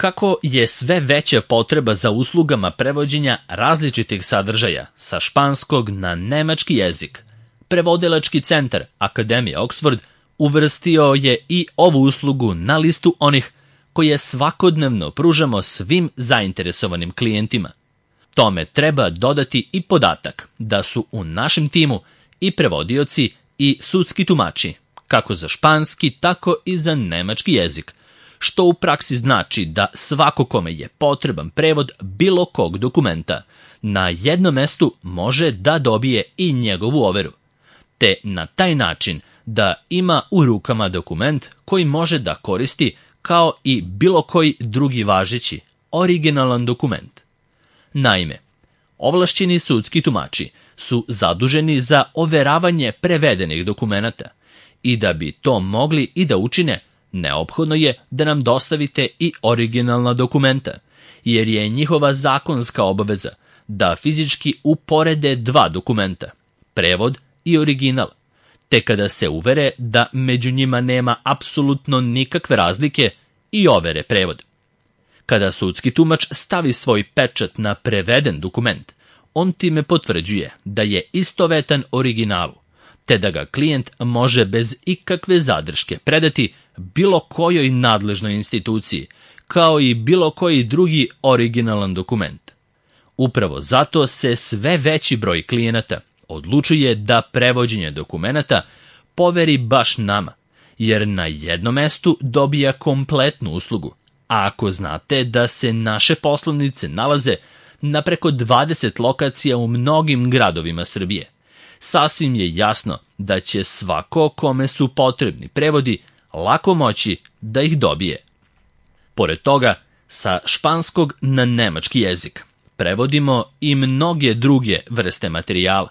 Kako je sve veća potreba za uslugama prevođenja različitih sadržaja sa španskog na nemački jezik, prevodilački centar Akademije Oxford uvrstio je i ovu uslugu na listu onih koje svakodnevno pružamo svim zainteresovanim klijentima. Tome treba dodati i podatak da su u našem timu i prevodioci i sudski tumači, kako za španski, tako i za nemački jezik, što u praksi znači da svako kome je potreban prevod bilo kog dokumenta na jednom mestu može da dobije i njegovu overu, te na taj način da ima u rukama dokument koji može da koristi kao i bilo koji drugi važeći, originalan dokument. Naime, ovlašćeni sudski tumači su zaduženi za overavanje prevedenih dokumenata i da bi to mogli i da učine, neophodno je da nam dostavite i originalna dokumenta, jer je njihova zakonska obaveza da fizički uporede dva dokumenta, prevod i original, te kada se uvere da među njima nema apsolutno nikakve razlike i overe prevod. Kada sudski tumač stavi svoj pečat na preveden dokument, on time potvrđuje da je istovetan originalu, te da ga klijent može bez ikakve zadrške predati bilo kojoj nadležnoj instituciji, kao i bilo koji drugi originalan dokument. Upravo zato se sve veći broj klijenata odlučuje da prevođenje dokumenata poveri baš nama, jer na jednom mestu dobija kompletnu uslugu. A ako znate da se naše poslovnice nalaze na preko 20 lokacija u mnogim gradovima Srbije, sasvim je jasno da će svako kome su potrebni prevodi lako moći da ih dobije. Pored toga, sa španskog na nemački jezik prevodimo i mnoge druge vrste materijala,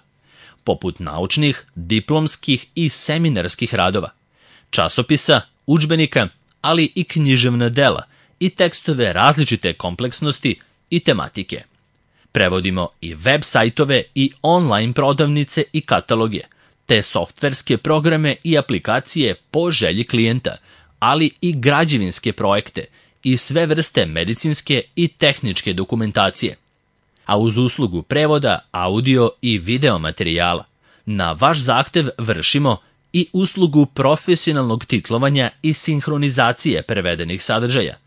poput naučnih, diplomskih i seminarskih radova, časopisa, udžbenika, ali i književna dela i tekstove različite kompleksnosti i tematike. Prevodimo i web sajtove i online prodavnice i kataloge, te softverske programe i aplikacije po želji klijenta, ali i građevinske projekte i sve vrste medicinske i tehničke dokumentacije. A uz uslugu prevoda, audio i video materijala, na vaš zahtev vršimo i uslugu profesionalnog titlovanja i sinhronizacije prevedenih sadržaja,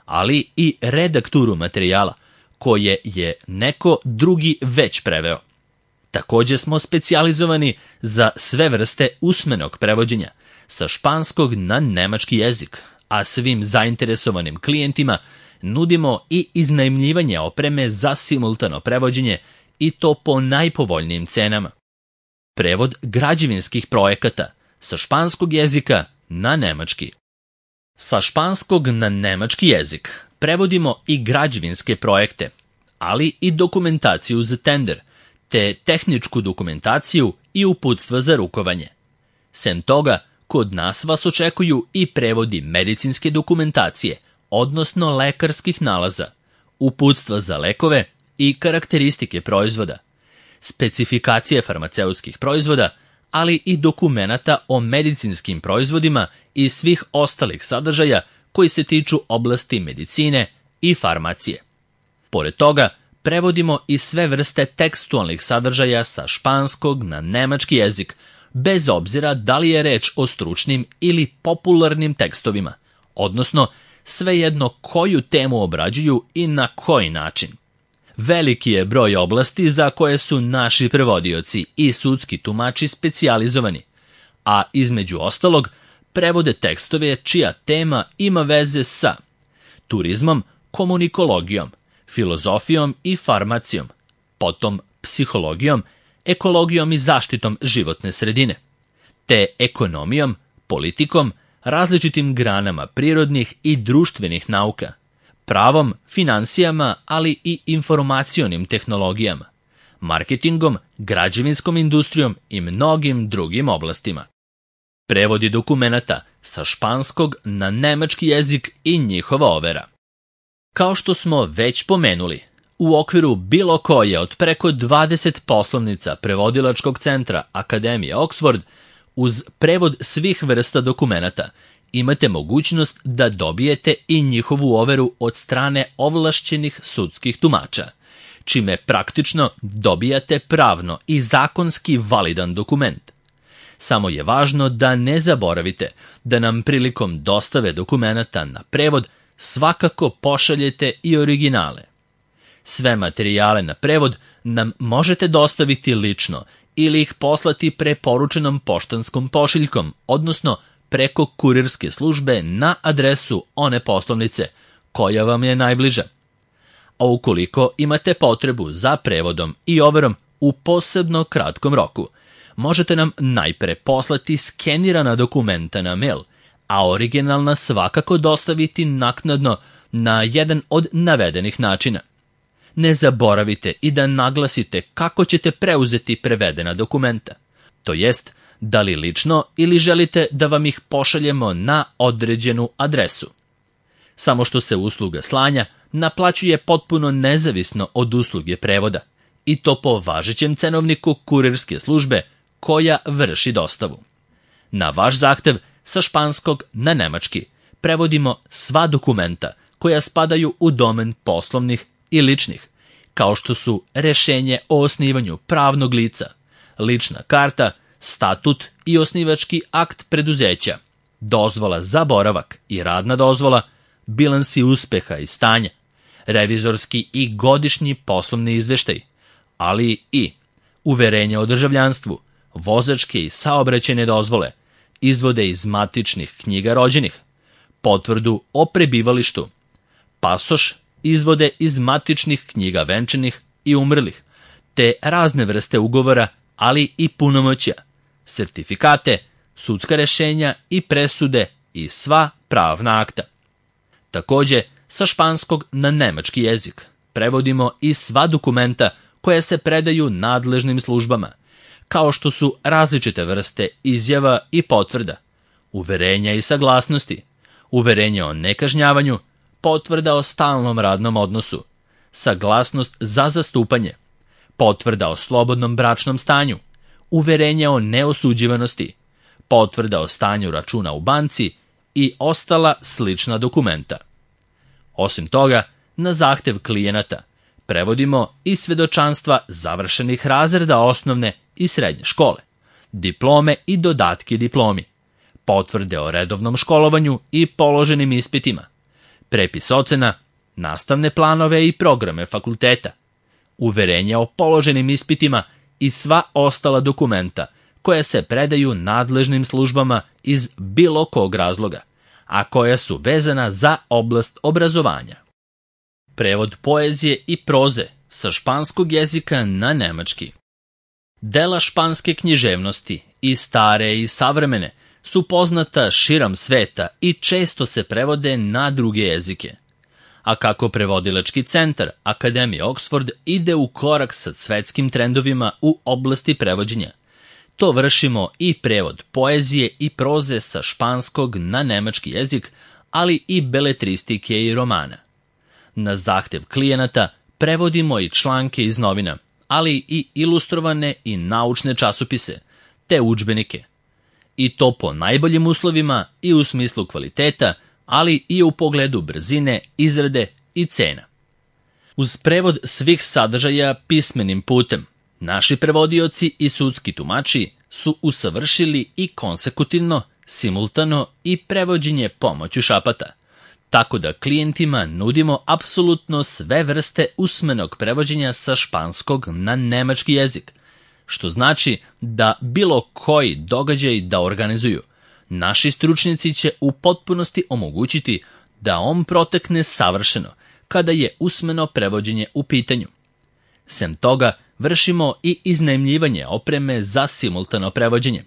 ali i redakturu materijala, koje je neko drugi već preveo. Također smo specijalizovani za sve vrste usmenog prevođenja, sa španskog na nemački jezik, a svim zainteresovanim klijentima nudimo i iznajmljivanje opreme za simultano prevođenje i to po najpovoljnijim cenama. Prevod građevinskih projekata sa španskog jezika na nemački. Sa španskog na nemački jezik prevodimo i građevinske projekte, ali i dokumentaciju za tender, te tehničku dokumentaciju i uputstva za rukovanje. Sem toga, kod nas vas očekuju i prevodi medicinske dokumentacije, odnosno lekarskih nalaza, uputstva za lekove i karakteristike proizvoda, specifikacije farmaceutskih proizvoda, ali i dokumenata o medicinskim proizvodima i svih ostalih sadržaja koji se tiču oblasti medicine i farmacije. Pored toga, prevodimo i sve vrste tekstualnih sadržaja sa španskog na nemački jezik, bez obzira da li je reč o stručnim ili popularnim tekstovima, odnosno svejedno koju temu obrađuju i na koji način. Veliki je broj oblasti za koje su naši prevodioci i sudski tumači specijalizovani, a između ostalog prevode tekstove čija tema ima veze sa turizmom, komunikologijom, filozofijom i farmacijom, potom psihologijom, ekologijom i zaštitom životne sredine, te ekonomijom, politikom, različitim granama prirodnih i društvenih nauka, pravom, finansijama, ali i informacionim tehnologijama, marketingom, građevinskom industrijom i mnogim drugim oblastima. Prevodi dokumenata sa španskog na nemački jezik i njihova overa. Kao što smo već pomenuli, u okviru bilo koje od preko 20 poslovnica prevodilačkog centra Akademije Oxford, uz prevod svih vrsta dokumenata, imate mogućnost da dobijete i njihovu overu od strane ovlašćenih sudskih tumača, čime praktično dobijate pravno i zakonski validan dokument. Samo je važno da ne zaboravite da nam prilikom dostave dokumenata na prevod svakako pošaljete i originale. Sve materijale na prevod nam možete dostaviti lično ili ih poslati preporučenom poštanskom pošiljkom, odnosno preko kurirske službe na adresu one poslovnice koja vam je najbliža. A ukoliko imate potrebu za prevodom i overom u posebno kratkom roku, možete nam najpre poslati skenirana dokumenta na mail, a originalna svakako dostaviti naknadno na jedan od navedenih načina. Ne zaboravite i da naglasite kako ćete preuzeti prevedena dokumenta, to jest da li lično ili želite da vam ih pošaljemo na određenu adresu. Samo što se usluga slanja naplaćuje potpuno nezavisno od usluge prevoda, i to po važećem cenovniku kurirske službe koja vrši dostavu. Na vaš zahtev sa španskog na nemački prevodimo sva dokumenta koja spadaju u domen poslovnih i ličnih, kao što su rešenje o osnivanju pravnog lica, lična karta, statut i osnivački akt preduzeća, dozvola za boravak i radna dozvola, bilansi uspeha i stanja, revizorski i godišnji poslovni izveštaj, ali i uverenje o državljanstvu, vozačke i saobraćajne dozvole, izvode iz matičnih knjiga rođenih, potvrdu o prebivalištu, pasoš, izvode iz matičnih knjiga venčanih i umrlih, te razne vrste ugovora, ali i punomoćja, sertifikate, sudska rešenja i presude i sva pravna akta. Takođe, sa španskog na nemački jezik prevodimo i sva dokumenta koja se predaju nadležnim službama, kao što su različite vrste izjava i potvrda, uverenja i saglasnosti, uverenje o nekažnjavanju, potvrda o stalnom radnom odnosu, saglasnost za zastupanje, potvrda o slobodnom bračnom stanju, uverenje o neosuđivanosti, potvrda o stanju računa u banci i ostala slična dokumenta. Osim toga, na zahtev klijenata prevodimo i svedočanstva završenih razreda osnovne i srednje škole, diplome i dodatke diplomi, potvrde o redovnom školovanju i položenim ispitima, prepis ocena, nastavne planove i programe fakulteta, uverenja o položenim ispitima i sva ostala dokumenta koja se predaju nadležnim službama iz bilo kog razloga, a koja su vezana za oblast obrazovanja. Prevod poezije i proze sa španskog jezika na nemački. Dela španske književnosti, i stare i savremene, su poznata širom sveta i često se prevode na druge jezike. A kako prevodilački centar Akademije Oxford ide u korak sa svetskim trendovima u oblasti prevođenja, to vršimo i prevod poezije i proze sa španskog na nemački jezik, ali i beletristike i romana. Na zahtev klijenata prevodimo i članke iz novina, ali i ilustrovane i naučne časopise, te udžbenike. I to po najboljim uslovima i u smislu kvaliteta, ali i u pogledu brzine, izrade i cena. Uz prevod svih sadržaja pismenim putem, naši prevodioci i sudski tumači su usavršili i konsekutivno, simultano i prevođenje pomoću šapata, tako da klijentima nudimo apsolutno sve vrste usmenog prevođenja sa španskog na nemački jezik, što znači da bilo koji događaj da organizuju, naši stručnjaci će u potpunosti omogućiti da on protekne savršeno kada je usmeno prevođenje u pitanju. Sem toga, vršimo i iznajmljivanje opreme za simultano prevođenje,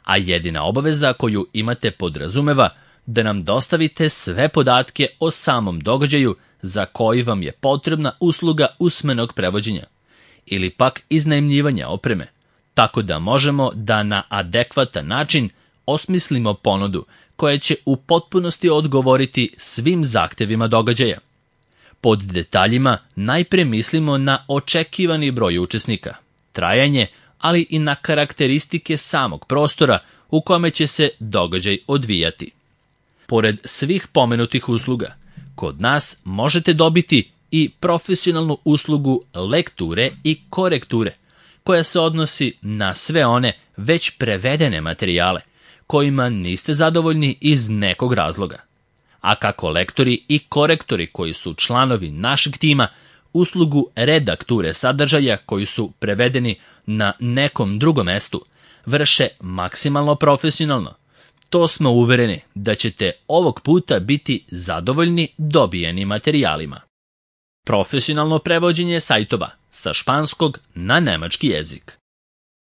a jedina obaveza koju imate podrazumeva da nam dostavite sve podatke o samom događaju za koji vam je potrebna usluga usmenog prevođenja ili pak iznajmljivanja opreme, tako da možemo da na adekvatan način osmislimo ponudu koja će u potpunosti odgovoriti svim zahtevima događaja. Pod detaljima najpre mislimo na očekivani broj učesnika, trajanje, ali i na karakteristike samog prostora u kome će se događaj odvijati. Pored svih pomenutih usluga, kod nas možete dobiti i profesionalnu uslugu lekture i korekture, koja se odnosi na sve one već prevedene materijale, kojima niste zadovoljni iz nekog razloga. A kako lektori i korektori koji su članovi našeg tima, uslugu redakture sadržaja koji su prevedeni na nekom drugom mestu, vrše maksimalno profesionalno, to smo uvereni da ćete ovog puta biti zadovoljni dobijenim materijalima. Profesionalno prevođenje sajtova sa španskog na nemački jezik.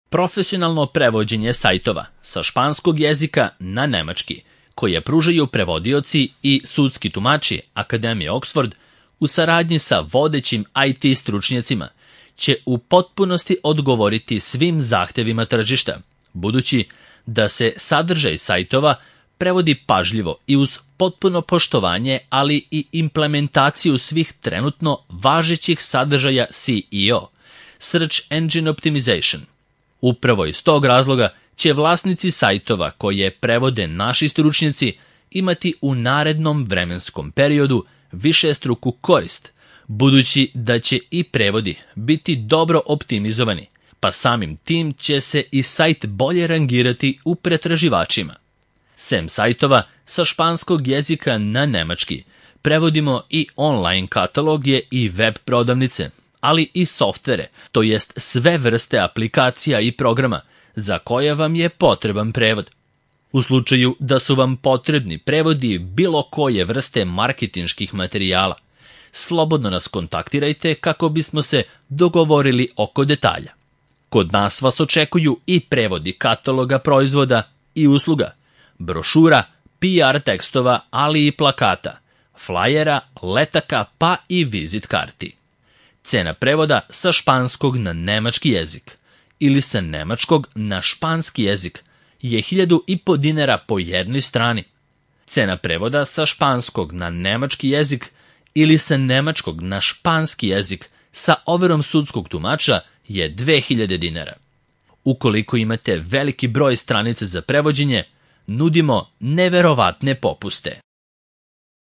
Profesionalno prevođenje sajtova sa španskog jezika na nemački, koje pružaju prevodioci i sudski tumači Akademije Oxford u saradnji sa vodećim IT stručnjacima, će u potpunosti odgovoriti svim zahtevima tržišta, budući da se sadržaj sajtova prevodi pažljivo i uz potpuno poštovanje, ali i implementaciju svih trenutno važećih sadržaja SEO, Search Engine Optimization. Upravo iz tog razloga će vlasnici sajtova koje prevode naši stručnjaci imati u narednom vremenskom periodu višestruku korist, budući da će i prevodi biti dobro optimizovani, pa samim tim će se i sajt bolje rangirati u pretraživačima. Sem sajtova sa španskog jezika na nemački, prevodimo i online kataloge i web prodavnice, ali i softvere, to jest sve vrste aplikacija i programa za koje vam je potreban prevod. U slučaju da su vam potrebni prevodi bilo koje vrste marketinških materijala, slobodno nas kontaktirajte kako bismo se dogovorili oko detalja. Kod nas vas očekuju i prevodi kataloga proizvoda i usluga, brošura, PR tekstova, ali i plakata, flajera, letaka pa i vizit karti. Cena prevoda sa španskog na nemački jezik ili sa nemačkog na španski jezik je 1.500 dinara po jednoj strani. Cena prevoda sa španskog na nemački jezik ili sa nemačkog na španski jezik sa overom sudskog tumača je 2.000 dinara. Ukoliko imate veliki broj stranica za prevođenje, nudimo neverovatne popuste.